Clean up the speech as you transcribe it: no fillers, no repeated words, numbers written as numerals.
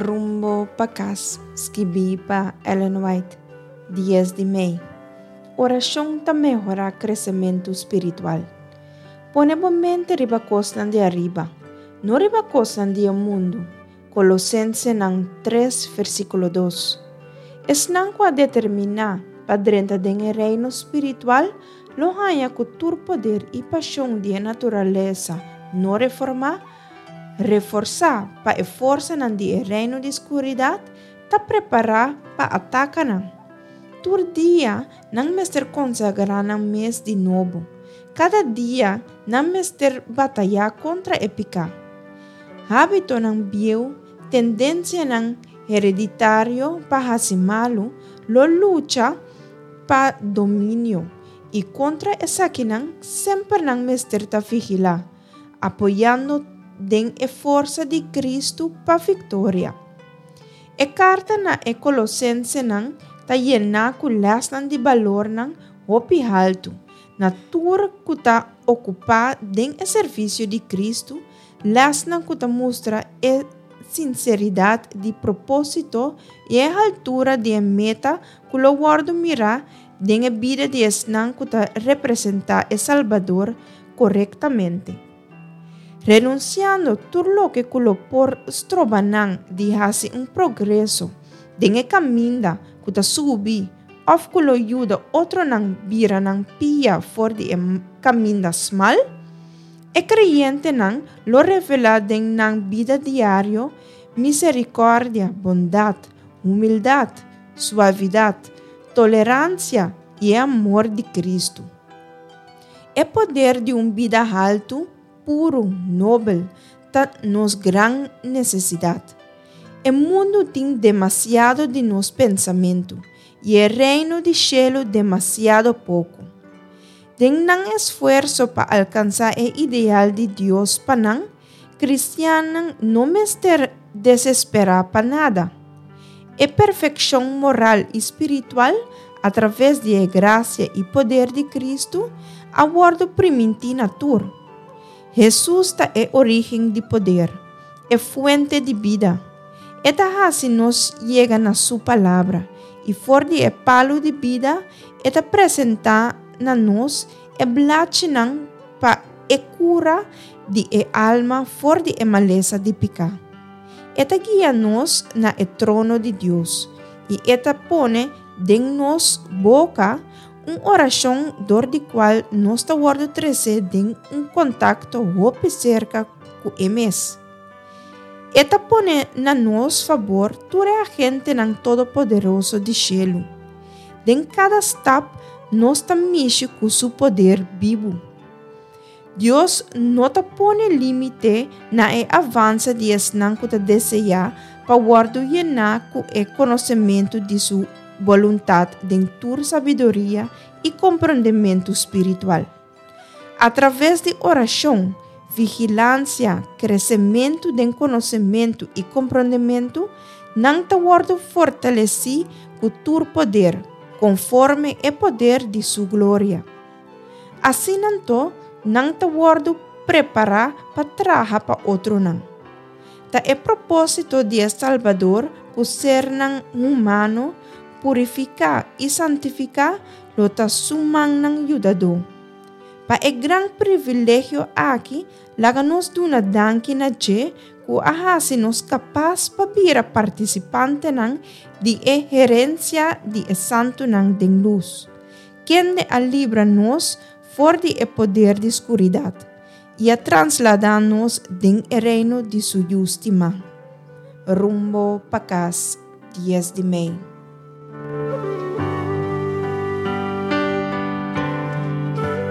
Rumbo pa Kas, skibí pa Ellen White, dies di mei. Orashon ta mehorá kresementu spiritual. Pone bo mente riba kosnan di ariba, no riba kosnan di e mundu, Kolosensenan tres, versíkulo dos. Esnan ku a determiná pa drenta den e reino spiritual lo haña ku tur poder i pashon di e naturalesa no reformá, reforsá pa e forsanan di e reino di skuridat, ta prepará pa ataka nan. Tur dia nan mester konsagrá nan mes di nobo. Kada dia nan mester batayá kontra e piká. Hábitonan bieu, tendensianan hereditario pa hasi malu, lo lucha pa dominio, i kontra esakinan semper nan mester ta vigilá, apoyando den e forsa di Kristu pa viktoria. E karta na e Kolosensenan ta yená ku lèsnan di balornan hopi haltu na tur ku ta okupá den e servisio di Kristu, lèsnan ku ta mustra e sinseridat di propósito i e haltura di e meta ku lo wòrdu mirá den e bida di esnan ku ta representá e Salbador korektamente. Renunsiando tur loke ku lo por stroba nan di hasi un progreso den e kaminda ku ta subi òf ku lo yuda otronan bira nan pia for di e kaminda smal, e kreyentenan lo revelá den nan bida diario miserikòrdia, bondat, humildat, suavidat, toleransia i e amor di Kristu. E poder di un bida haltu, puru, nobel, ta nos gran nesesidat. E mundu tin demasiado di nos pensamentu i e Reino di shelu demasiado poko. Den nan esfuerso pa alkansá e ideal di Dios pa nan, kristiannan no mester desesperá pa nada. E perfekshon moral i spiritual atraves di e grasia i poder di Kristu a wòrdu primintí na tur. Hesus ta e orígen di poder, e fuente di bida. E ta hasi nos yega na Su Palabra, i for di e palu di bida e ta presentá na nos e blachinan pa e kura di e alma for di e malesa di piká. E ta guia nos na e trono di Dios, i e ta pone den nos boka un orashon dor di kual nos ta wòrdu tresé den un kontakto hopi serka ku e mes. E ta pone na nos fabor tur e agentenan todopoderoso di shelu. Den kada stap nos ta mishi ku su poder bibu. Dios no ta pone límite na e avanse di esnan ku ta deseá pa wòrdu yená ku e konosementu di su boluntat den tur sabiduria i komprondementu spiritual. Atraves di orashon, vigilansia, kresementu den konosementu i komprondementu, nan ta wòrdu fortalesí ku tur poder, konforme e poder di su gloria. Asina anto, nan ta wòrdu prepará pa traha pa otronan. Ta e propósito di e Salbador ku sernan humano purifiká i santifiká lo ta su mannan yudadó. Pa e gran privilegio aki, laga nos duna danki na dje ku a hasi nos kapas pa bira partisipantenan di e herensia di e santunan den lus. Kende a libra nos for di e poder di skuridat i a trasladá nos den e reino di su Yu stimá. Rumbo pa kas, dies di mei.